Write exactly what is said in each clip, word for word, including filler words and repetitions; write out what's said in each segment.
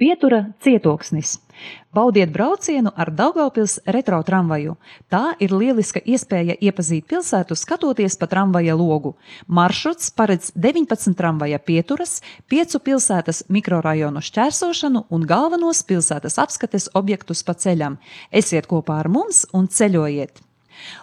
Pietura cietoksnis. Baudiet braucienu ar Daugavpils retro tramvaju. Tā ir lieliska iespēja iepazīt pilsētu, skatoties pa tramvaja logu. Maršruts paredz deviņpadsmit tramvaja pieturas, piecu pilsētas mikrorajonu šķērsošanu un galvenos pilsētas apskates objektus pa ceļam. Esiet kopā ar mums un ceļojiet!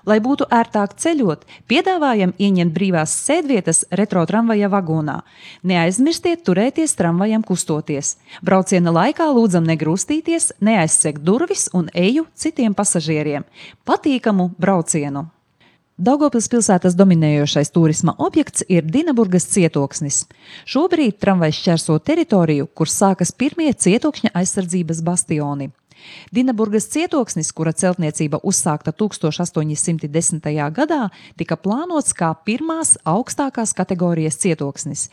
Lai būtu ērtāk ceļot, piedāvājam ieņemt brīvās sēdvietas retro tramvaja vagonā. Neaizmirstiet turēties tramvajam kustoties. Brauciena laikā lūdzam negrūstīties, neaizsegt durvis un eju citiem pasažieriem. Patīkamu braucienu! Daugavpils pilsētas dominējošais turisma objekts ir Dinaburgas cietoksnis. Šobrīd tramvajs šķērso teritoriju, kur sākas pirmie cietokšņa aizsardzības bastioni. Dinaburgas cietoksnis, kura celtniecība uzsākta tūkstoš astoņi simti desmitajā gadā, tika plānots kā pirmās augstākās kategorijas cietoksnis.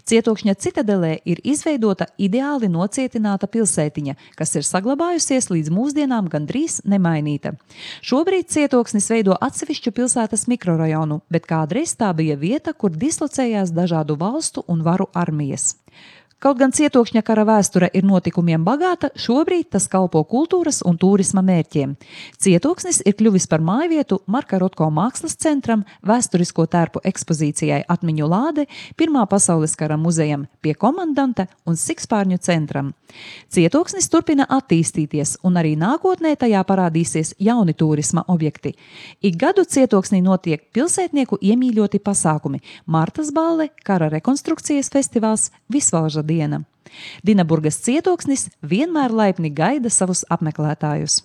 Cietokšņa citadelē ir izveidota ideāli nocietināta pilsētiņa, kas ir saglabājusies līdz mūsdienām gandrīz nemainīta. Šobrīd cietoksnis veido atsevišķu pilsētas mikrorajonu, bet kādreiz tā bija vieta, kur dislocējās dažādu valstu un varu armijas. Kaut gan cietokšņa kara vēsture ir notikumiem bagāta, šobrīd tas kalpo kultūras un turisma mērķiem. Cietoksnis ir kļuvis par mājvietu Marka Rotko mākslas centram, vēsturisko tērpu ekspozīcijai Atmiņu lāde, Pirmā pasaules kara muzejam Pie komandanta un Sikspārņu centram. Cietoksnis turpina attīstīties, un arī nākotnē tajā parādīsies jauni turisma objekti. Ik gadu cietoksnī notiek pilsētnieku iemīļoti pasākumi – Martas balle, kara rekonstrukcijas festivāls, Visvalža diena. Dinaburgas cietoksnis vienmēr laipni gaida savus apmeklētājus.